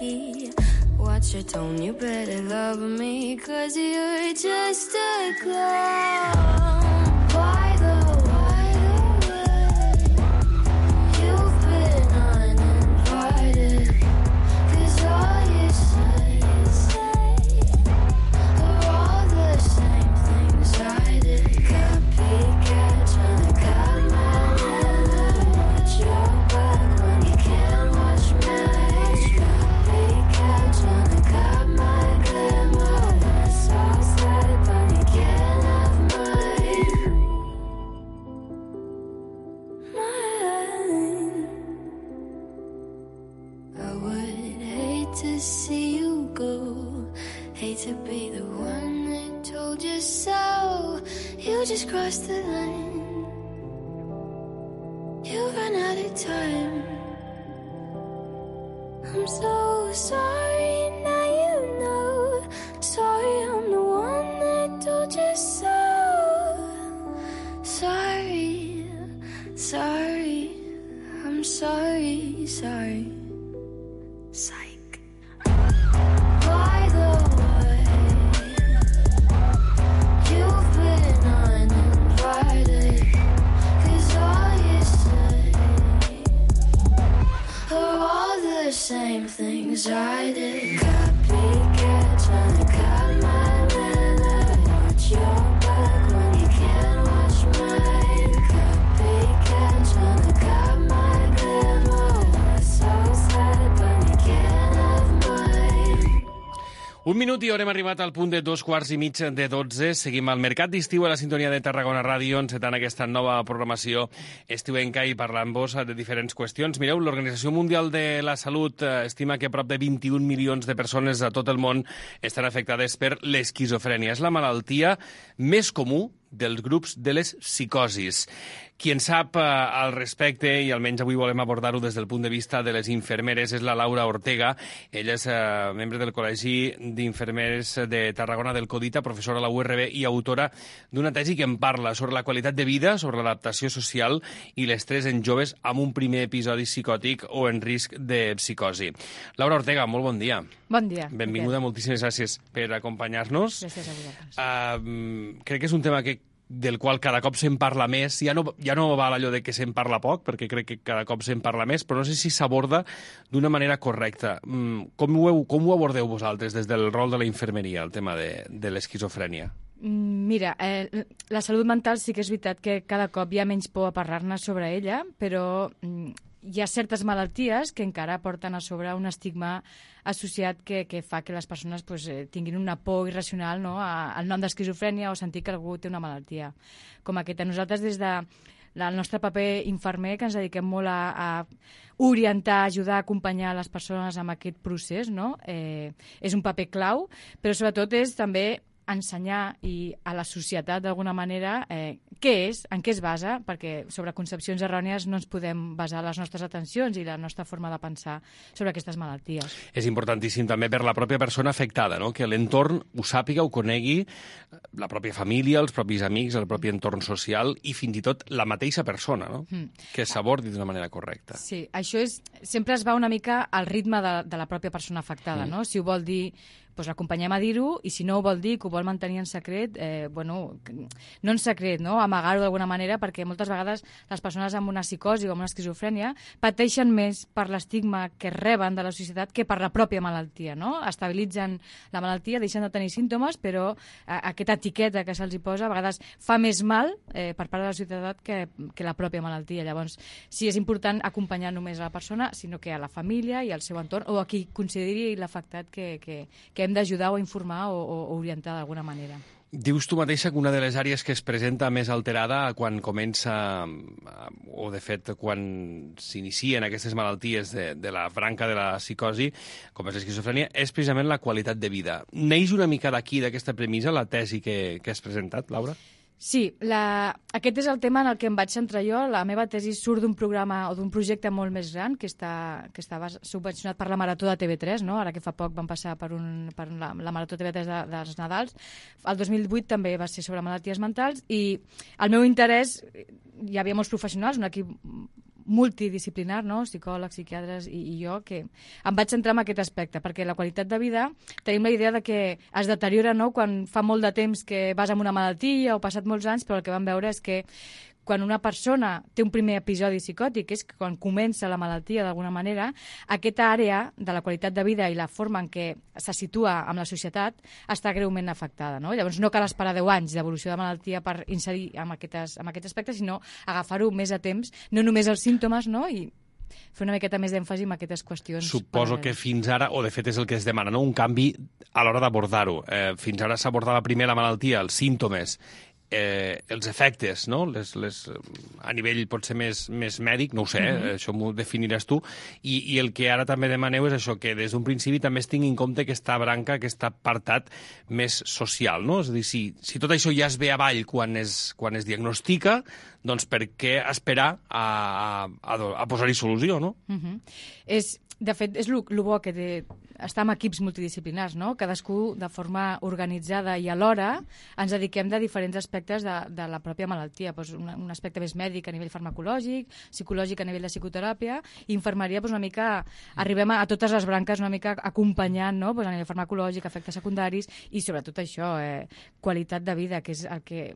lucky. Watch your tone, you better love me, 'cause you're just a clown. Why the way you've been uninvited, 'cause all you say are all the same things I did. Copycat, trying to cut my head, watch your back when you can't watch me. Copycat, trying to cut my glimmer, that's all sad, but you can't have mine. I would hate to see you go, hate to be the one that told you so. You just crossed the line, you ran out of time. I'm so sorry, now you know. Sorry, I'm the one that told you so. Sorry, sorry, I'm sorry, sorry. Psych. By the way, you've been uninvited, 'cause all you say are all the same things I did. Copycat, trying to cut my leather, watch your back when you can't watch mine. Copycat, trying to cut my glimmer, that's so sad, but you can't have mine. Un minut i haurem arribat al punt de 2:15 Seguim al Mercat d'Estiu a la sintonia de Tarragona Ràdio, encetant aquesta nova programació estiuenca i parlant-vos de diferents qüestions. Mireu, l'Organització Mundial de la Salut estima que prop de 21 milions de persones a tot el món estan afectades per l'esquizofrènia. És la malaltia més comú dels grups de les psicosis. Qui en sap al respecte, i almenys avui volem abordar-ho des del punt de vista de les infermeres, és la Laura Ortega. Ella és membre del Col·legi d'Infermeres de Tarragona del Codita, professora a la URB i autora d'una tesi que en parla sobre la qualitat de vida, sobre l'adaptació social i l'estrès en joves amb un primer episodi psicòtic o en risc de psicosi. Laura Ortega, molt bon dia. Bon dia. Benvinguda, moltíssimes gràcies per acompanyar-nos. Gràcies a vosaltres. Crec que és un tema del qual cada cop se'n parla més. Ja no val allò de que se'n parla poc, perquè crec que cada cop se'n parla més, però no sé si s'aborda d'una manera correcta. Com ho abordeu vosaltres des del rol de la infermeria, el tema de l'esquizofrènia? Mira, la salut mental sí que és veritat que cada cop hi ha menys por a parlar-ne sobre ella, però hi ha certes malalties que encara porten a sobre un estigma associat que fa que les persones tinguin una por irracional, no?, al nom d'esquizofrènia o sentir que algú té una malaltia com aquesta. Nosaltres, des del nostre paper infermer, que ens dediquem molt a orientar, ajudar, acompanyar les persones amb aquest procés, no?, és un paper clau, però sobretot és també ensenyar a la societat d'alguna manera què és, en què es basa, perquè sobre concepcions errònies no ens podem basar les nostres atencions i la nostra forma de pensar sobre aquestes malalties. És importantíssim també per la pròpia persona afectada, no?, que l'entorn ho sàpiga, ho conegui, la pròpia família, els propis amics, el propi entorn social i fins i tot la mateixa persona, no?, que s'abordi d'una manera correcta. Sí, això sempre es va una mica al ritme de la pròpia persona afectada, no? Si ho vol dir, doncs l'acompanyem a dir-ho, i si no ho vol dir, que ho vol mantenir en secret, no en secret, no?, amagar-ho d'alguna manera, perquè moltes vegades les persones amb una psicosi o amb una esquizofrènia pateixen més per l'estigma que reben de la societat que per la pròpia malaltia, no? Estabilitzen la malaltia, deixen de tenir símptomes, però aquesta etiqueta que se'ls hi posa a vegades fa més mal per part de la societat que la pròpia malaltia. Llavors, sí, és important acompanyar només a la persona, sinó que a la família i al seu entorn, o a qui consideri l'afectat que hem d'ajudar o informar o orientar d'alguna manera. Dius tu mateixa que una de les àrees que es presenta més alterada quan comença, o de fet quan s'inicien aquestes malalties de la branca de la psicosi, com és l'esquizofrènia, és precisament la qualitat de vida. Neix una mica d'aquí, d'aquesta premissa, la tesi que has presentat, Laura? Sí, aquest és el tema en el que em vaig centrar jo. La meva tesi surt d'un programa o d'un projecte molt més gran que estava subvencionat per la Marató de TV3, no? Ara que fa poc van passar per la Marató TV3 dels Nadals. El 2008 també va ser sobre malalties mentals i el meu interès, hi havia molts professionals, un equip multidisciplinar, no? Psicòlegs, psiquiatres i jo, que em vaig centrar en aquest aspecte, perquè la qualitat de vida tenim la idea de que es deteriora, no?, quan fa molt de temps que vas amb una malaltia o passat molts anys, però el que vam veure és que quan una persona té un primer episodi psicòtic, és que quan comença la malaltia d'alguna manera, aquesta àrea de la qualitat de vida i la forma en què se situa amb la societat està greument afectada, no? Llavors no cal esperar 10 anys d'evolució de malaltia per incidir en aquest aspecte, sinó agafar-ho més a temps, no només els símptomes, no?, i fer una miqueta més d'èmfasi en aquestes qüestions. Suposo que fins ara, o de fet és el que es demana, no?, un canvi a l'hora d'abordar-ho. Fins ara s'abordava primer la malaltia, els símptomes, els efectes, no?, a nivell potser més mèdic, no ho sé, això m'ho definiràs tu, i el que ara també demaneu és això, que des d'un principi també es tingui en compte aquesta branca, aquest apartat més social, no? És a dir, si tot això ja es ve avall quan es diagnostica, doncs per què esperar a posar-hi solució, no? De fet, és el bo que té estar en equips multidisciplinars, no? Cadascú de forma organitzada i alhora ens dediquem de diferents aspectes de la pròpia malaltia. Pues un aspecte més mèdic a nivell farmacològic, psicològic a nivell de psicoteràpia, i infermeria pues una mica, arribem a totes les branques una mica acompanyant, no? Pues a nivell farmacològic, efectes secundaris i sobretot això, qualitat de vida, que és el que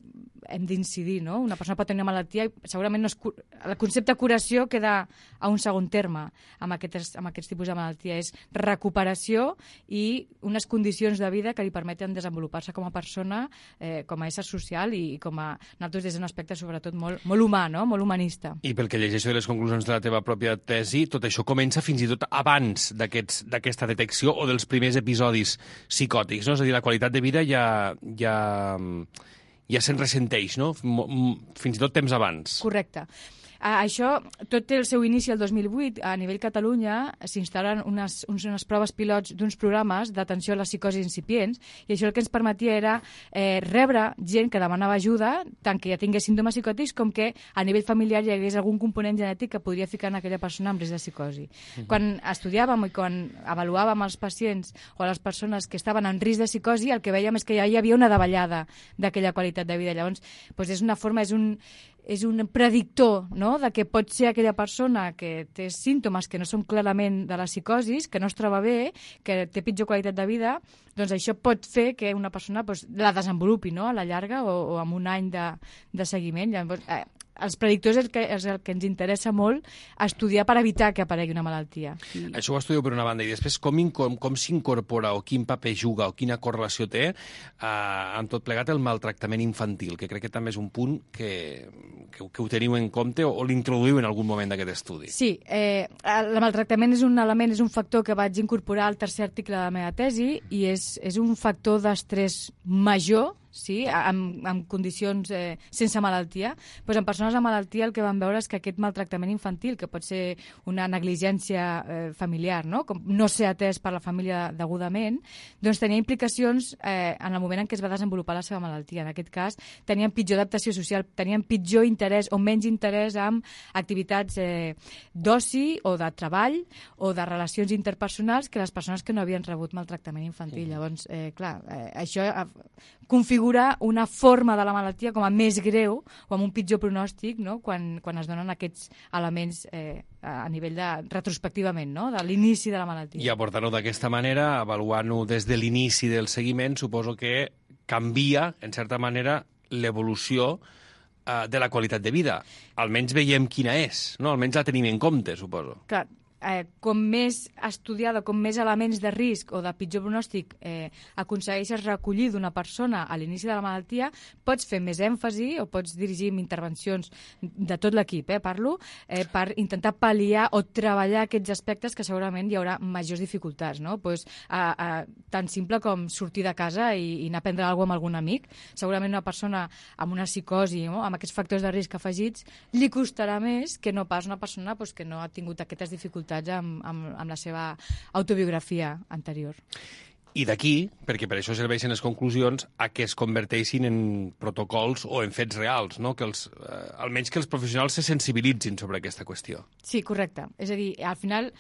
hem d'incidir, no? Una persona pot tenir una malaltia i segurament el concepte curació queda a un segon terme amb aquests tipus de malaltia. És recuperació i unes condicions de vida que li permeten desenvolupar-se com a persona, com a ésser social i com a nosaltres des d'un aspecte sobretot molt humà, no? Molt humanista. I pel que llegeixo de les conclusions de la teva pròpia tesi, tot això comença fins i tot abans d'aquesta detecció o dels primers episodis psicòtics, no? És a dir, la qualitat de vida ja se'n ressenteix, no? Fins i tot temps abans. Correcte. Això tot té el seu inici el 2008. A nivell Catalunya s'instal·len unes proves pilots d'uns programes d'atenció a les psicosis incipients, i això el que ens permetia era rebre gent que demanava ajuda, tant que ja tingués símptomes psicòtics com que a nivell familiar hi hagués algun component genètic que podria ficar en aquella persona amb risc de psicosi. Quan estudiàvem i quan avaluàvem els pacients o les persones que estaven en risc de psicosi, el que vèiem és que ja hi havia una davallada d'aquella qualitat de vida. Llavors, és una forma, és un predictor, no?, de que pot ser aquella persona que té símptomes que no són clarament de la psicosis, que no es troba bé, que té pitjor qualitat de vida, doncs això pot fer que una persona la desenvolupi, no?, a la llarga o amb un any de seguiment. Llavors, els predictors és el que ens interessa molt estudiar per evitar que aparegui una malaltia. Això ho estudieu per una banda, i després com s'incorpora o quin paper juga o quina correlació té amb tot plegat el maltractament infantil, que crec que també és un punt que ho teniu en compte o l'introduïu en algun moment d'aquest estudi. Sí, el maltractament és un element, és un factor que vaig incorporar al tercer article de la meva tesi, i és un factor d'estrès major, sí, en condicions sense malaltia. Pues en persones amb malaltia el que vam veure és que aquest maltractament infantil, que pot ser una negligència familiar, no?, com no ser atès per la família degudament, doncs tenia implicacions en el moment en què es va desenvolupar la seva malaltia. En aquest cas, tenien pitjor adaptació social, tenien pitjor interès o menys interès en activitats d'oci o de treball o de relacions interpersonals que les persones que no havien rebut maltractament infantil. Llavors, clar, això configura una forma de la malaltia com a més greu o amb un pitjor pronòstic, no?, quan es donen aquests elements a nivell retrospectivament, no?, de l'inici de la malaltia. I abordant-ho d'aquesta manera, avaluant-ho des de l'inici del seguiment, suposo que canvia, en certa manera, l'evolució de la qualitat de vida. Almenys veiem quina és, no? Almenys la tenim en compte, suposo. Clar, com més estudiada, com més elements de risc o de pitjor pronòstic aconsegueixes recollir d'una persona a l'inici de la malaltia, pots fer més èmfasi o pots dirigir intervencions de tot l'equip, parlo, per intentar pal·liar o treballar aquests aspectes que segurament hi haurà majors dificultats, no? Pues, tan simple com sortir de casa i anar a prendre alguna cosa amb algun amic. Segurament una persona amb una psicosi, no?, amb aquests factors de risc afegits, li costarà més que no pas una persona que no ha tingut aquestes dificultats amb la seva autobiografia anterior. I d'aquí, perquè per això serveixen les conclusions, a que es converteixin en protocols o en fets reals, no? Que almenys que els professionals se sensibilitzin sobre aquesta qüestió. Sí, correcte. És a dir, al final,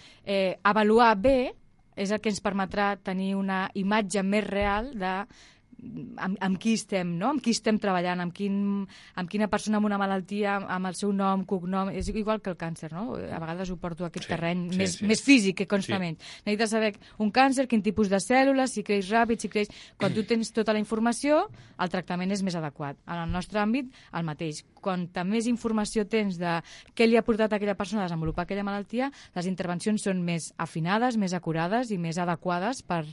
avaluar bé és el que ens permetrà tenir una imatge més real de amb qui estem, no? Amb qui estem treballant, amb quina persona amb una malaltia, amb el seu nom, cognom, és igual que el càncer, no? A vegades ho porto a aquest terreny més físic que constament. Necessites saber un càncer, quin tipus de cèl·lules, si creix ràpid, si creix... Quan tu tens tota la informació, el tractament és més adequat. En el nostre àmbit, el mateix. Quanta més informació tens de què li ha portat a aquella persona a desenvolupar aquella malaltia, les intervencions són més afinades, més acurades i més adequades per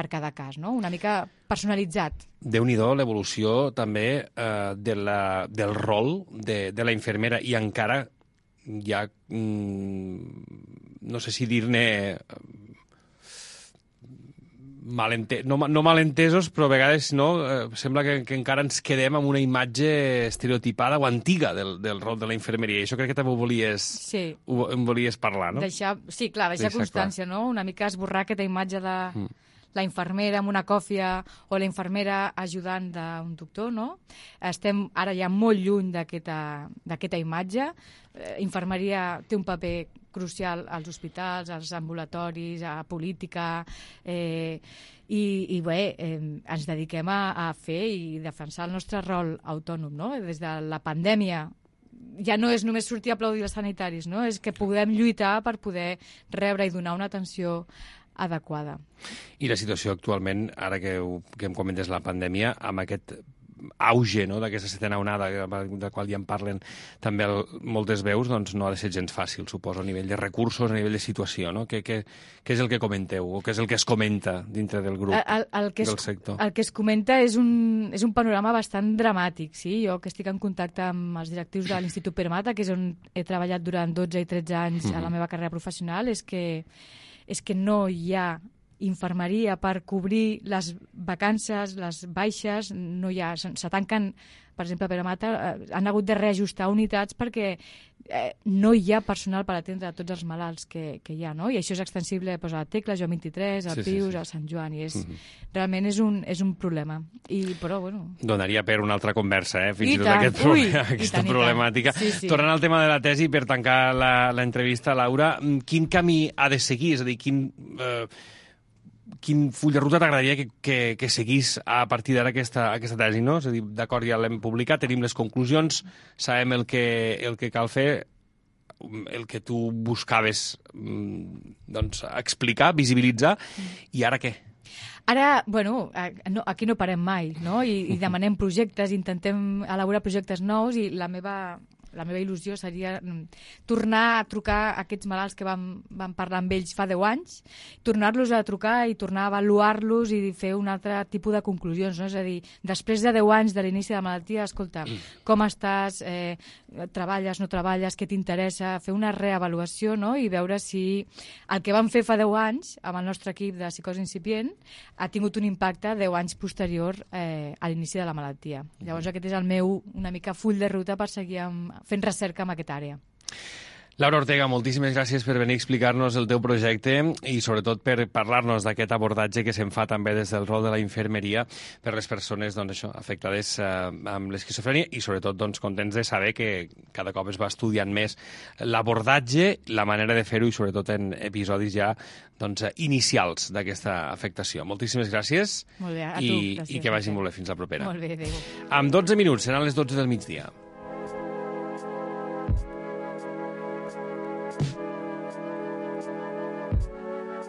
cada cas, no? Una mica personalitzat. Déu-n'hi-do l'evolució també del rol de la infermera i encara hi ha, no sé si dir-ne no malentesos, però a vegades sembla que encara ens quedem amb una imatge estereotipada o antiga del rol de la infermeria. I això crec que també em volies parlar, no? Deixar constància, no? Una mica esborrar aquesta imatge de la infermera amb una còfia o la infermera ajudant d'un doctor, no? Estem ara ja molt lluny d'aquesta imatge. Infermeria té un paper crucial als hospitals, als ambulatoris, a política, i bé, ens dediquem a fer i defensar el nostre rol autònom, no? Des de la pandèmia ja no és només sortir a aplaudir els sanitaris, no? És que podem lluitar per poder rebre i donar una atenció adequada. I la situació actualment, ara que em comentes la pandèmia, amb aquest auge, no?, d'aquesta setena onada, de qual ja en parlen també moltes veus, doncs no ha de ser gens fàcil, suposo, a nivell de recursos, a nivell de situació, no? Què és el que comenteu, o què és el que es comenta dintre del grup, del sector? El que es comenta és un panorama bastant dramàtic, sí? Jo que estic en contacte amb els directius de l'Institut Pere Mata, que és on he treballat durant 12 i 13 anys a la meva carrera professional, és que no hi ha infermeria per cobrir les vacances, les baixes, no hi ha, se tanquen, per exemple, a Pere Mata, han hagut de reajustar unitats perquè no hi ha personal per atendre tots els malalts que hi ha, no? I això és extensible a la Tecla, Joan 23, al Pius, al Sant Joan, i realment és un problema. Però, bueno... Donaria per una altra conversa, fins i tot aquesta problemàtica. Sí. Tornant al tema de la tesi, per tancar l'entrevista, Laura, quin camí ha de seguir? És a dir, quin full de ruta t'agradaria que seguís a partir d'ara aquesta tesi, no? És a dir, d'acord, ja l'hem publicat, tenim les conclusions, sabem el que cal fer, el que tu buscaves doncs, explicar, visibilitzar, i ara què? Ara, bueno, aquí no parem mai, no? I demanem projectes, intentem elaborar projectes nous, i la meva il·lusió seria tornar a trucar a aquests malalts que vam parlar amb ells fa 10 anys, tornar-los a trucar i tornar a avaluar-los i fer un altre tipus de conclusions, no? És a dir, després de 10 anys de l'inici de la malaltia, escolta, com estàs, treballes, no treballes, què t'interessa, fer una reavaluació, no? I veure si el que vam fer fa 10 anys amb el nostre equip de psicosi incipient ha tingut un impacte 10 anys posterior a l'inici de la malaltia. Llavors aquest és el meu una mica full de ruta per seguir fent recerca en aquesta àrea. Laura Ortega, moltíssimes gràcies per venir a explicar-nos el teu projecte i sobretot per parlar-nos d'aquest abordatge que se'n fa també des del rol de la infermeria per les persones afectades amb l'esquizofrènia i sobretot contents de saber que cada cop es va estudiant més l'abordatge, la manera de fer-ho i sobretot en episodis ja inicials d'aquesta afectació. Moltíssimes gràcies. Molt bé, a tu. Gràcies, i que vagi molt bé. Fins la propera. Molt bé, adéu. Amb 12 minuts, seran les 12 del migdia.